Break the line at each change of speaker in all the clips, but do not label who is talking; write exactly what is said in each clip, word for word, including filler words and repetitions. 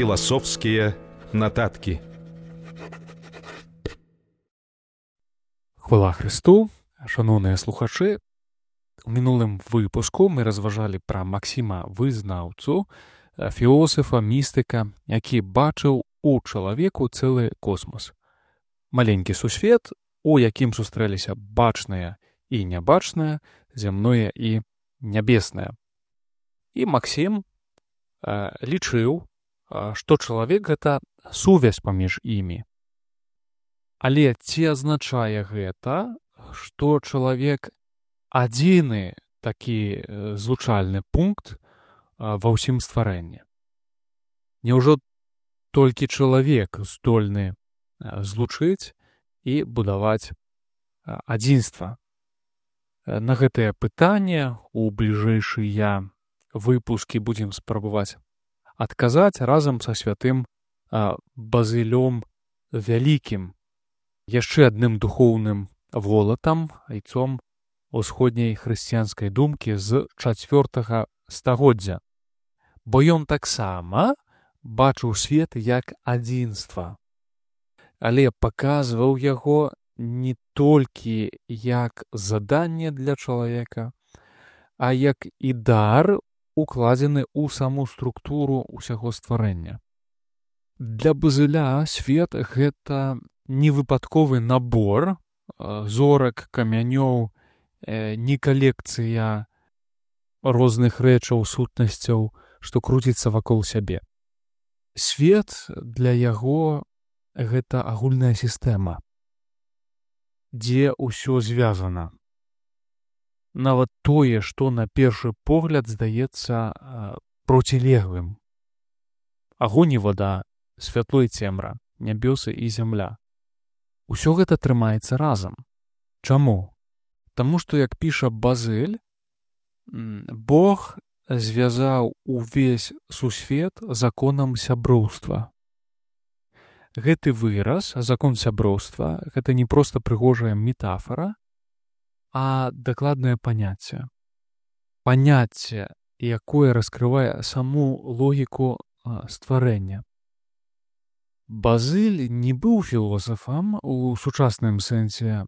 Філасофскія нататкі.
Хвала Христу, шановныя слухачы. У мінулым выпуску мы разважалі пра Максіма Вызнаўцу, філосафа, містыка, які бачыў у чалавеку цэлы космос. Маленькі сусвет, у якім сустрэліся бачнае і нябачнае, зямное і нябеснае. І Максім э, лічыў, што чалавек — гэта сувязь паміж імі. Але ці азначае гэта, што чалавек адзіны такі злучальны пункт ва ўсім стварэнні? Няўжо толькі чалавек здольны злучыць і будаваць адзінства? На гэтае пытанне у бліжэйшыя выпускі будзем спрабаваць адказаць разам са святым Базылём Вялікім, яшчэ адным духоўным волатам, айцом усходняй хрысціянскай думкі з чацвёртага стагоддзя. Бо ён таксама бачыў свет як адзінства, але паказваў яго не толькі як заданне для чалавека, а як і дар, укладзены ў саму структуру ўсяго стварэння. Для Базыля свет — гэта не выпадковы набор зорак, камянёў, не калекцыя розных рэчаў, сутнасцяў, што круціцца вакол сябе. Свет для яго — гэта агульная сістэма, дзе ўсё звязана. Нават тое, што на першы погляд здаецца процілеглым. Агонь і вада, святло і цемра, нябёсы і зямля. Усё гэта трымаецца разам. Чаму? Таму што, як піша Базыль, Бог звязаў увесь сусвет законам сяброўства. Гэты выраз, закон сяброўства, гэта не проста прыгожая метафара, а дакладнае паняцце. Паняцце, якое раскрывае саму логіку стварэння. Базыль не быў філосафам у сучасным сэнсе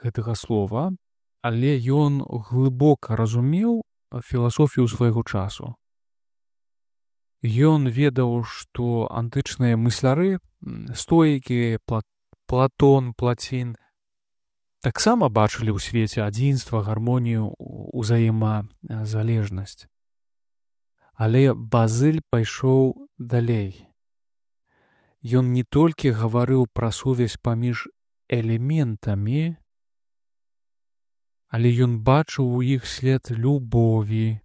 гэтага слова, але ён глыбока разумеў філасофію свайго часу. Ён ведаў, што антычныя мысляры, стоікі, Платон, Плацін, таксама бачылі ў свеце адзінства, гармонію, узаемазалежнасць. Але Базыль пайшоў далей. Ён не толькі гаварыў пра сувязь паміж элементамі, але ён бачыў у іх след любові.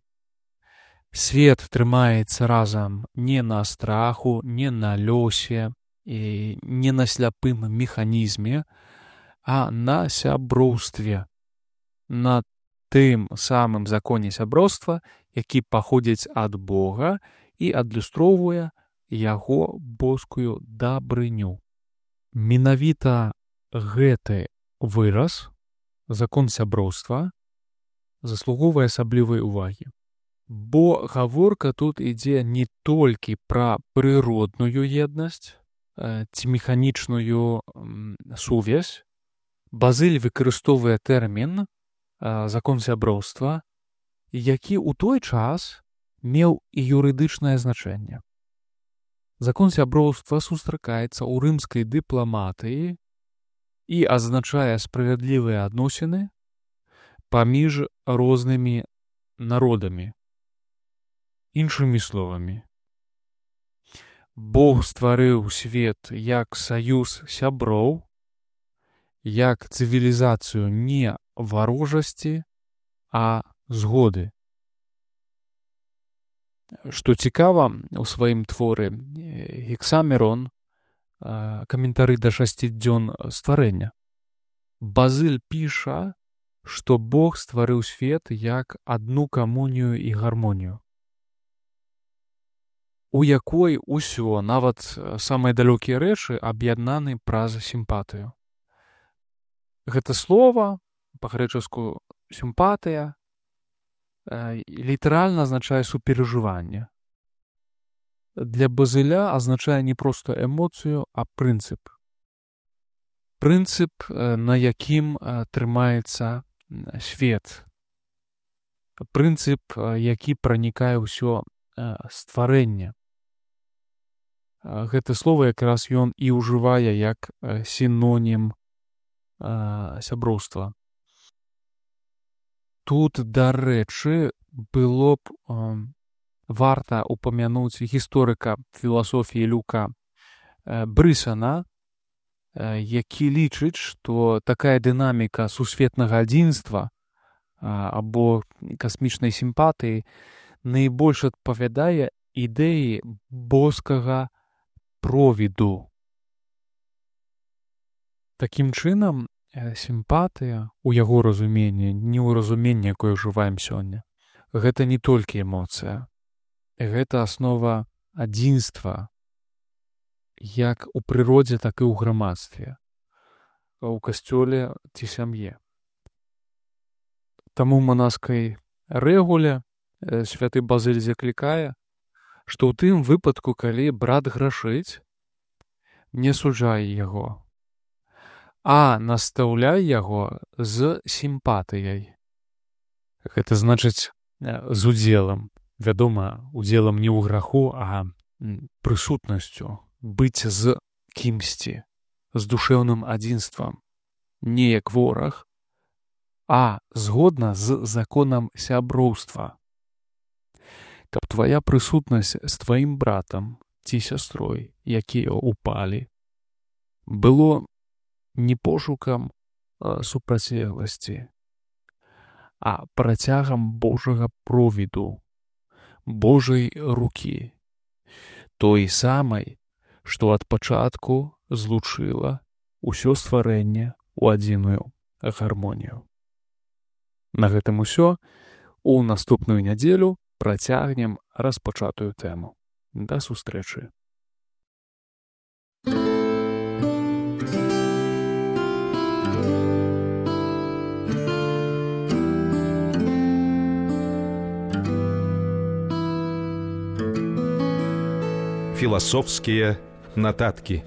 Свет трымаецца разам не на страху, не на лёсе і не на сляпым механізме, а на сяброўстве, на тым самым законе сяброўства, які паходзіць ад Бога і адлюстроўвае яго боскую дабрыню. Менавіта гэты выраз, закон сяброўства, заслугоўвае асаблівай увагі. Бо гаворка тут ідзе не толькі пра прыродную еднасць ці механічную сувязь. Базыль выкарыстоўвае тэрмін закон сяброўства, які ў той час меў і юрыдычнае значэнне. Закон сяброўства сустракаецца ў рымскай дыпламатыі і азначае справядлівыя адносіны паміж рознымі народамі. Іншымі словамі, Бог стварыў свет як саюз сяброў, як цывілізацыю не варожасці, а згоды. Што цікава, у сваім творы Гексамерон, каментары да шасці дзён стварэння, Базыль піша, што Бог стварыў свет як адну камунію і гармонію, у якой усё, нават самыя далёкія рэчы, аб'яднаны праз сімпатыю. Гэта слова, па-грэчаску сімпатыя, літаральна азначае суперажыванне. для Базыля азначае не проста эмоцыю, а прынцып. Прынцып, на якім трымаецца свет. Прынцып, які пранікае ўсё стварэнне. Гэта слова якраз ён і ўжывае як сінонім сяброўства. Тут, дарэчы, было б варта упамянуць гісторыка філасофіі Люка Брысана, які лічыць, што такая дынаміка сусветнага адзінства або касмічнай сімпатыі найбольш адпавядае ідэі боскага провіду. Такім чынам, сімпатыя у яго разуменні, не ў разуменні, якое ўжываем сёння, гэта не толькі эмоцыя. Гэта аснова адзінства, як у прыродзе, так і ў грамадстве, у касцёле ці сям'е. Таму ў манаскай рэгуле святы Базыль заклікае, што ў тым выпадку, калі брат грашыць, не суджай яго, а настаўляй яго з сімпатыяй. Гэта значыць з удзелам. Вядома, удзелам не ў граху, а прысутнасцю, быць з кімсьці, з душэўным адзінствам, не як вораг, а згодна з законам сяброўства. Каб твая прысутнасць з тваім братам ці сястрой, якія ўпалі, было не пошукам супрацьлегласці, а працягам Божага провіду, Божай рукі, той самай, што ад пачатку злучыла ўсё стварэнне ў адзіную гармонію. На гэтым усё. У наступную нядзелю працягнем распачатую тэму. Да сустрэчы.
Философские нотатки.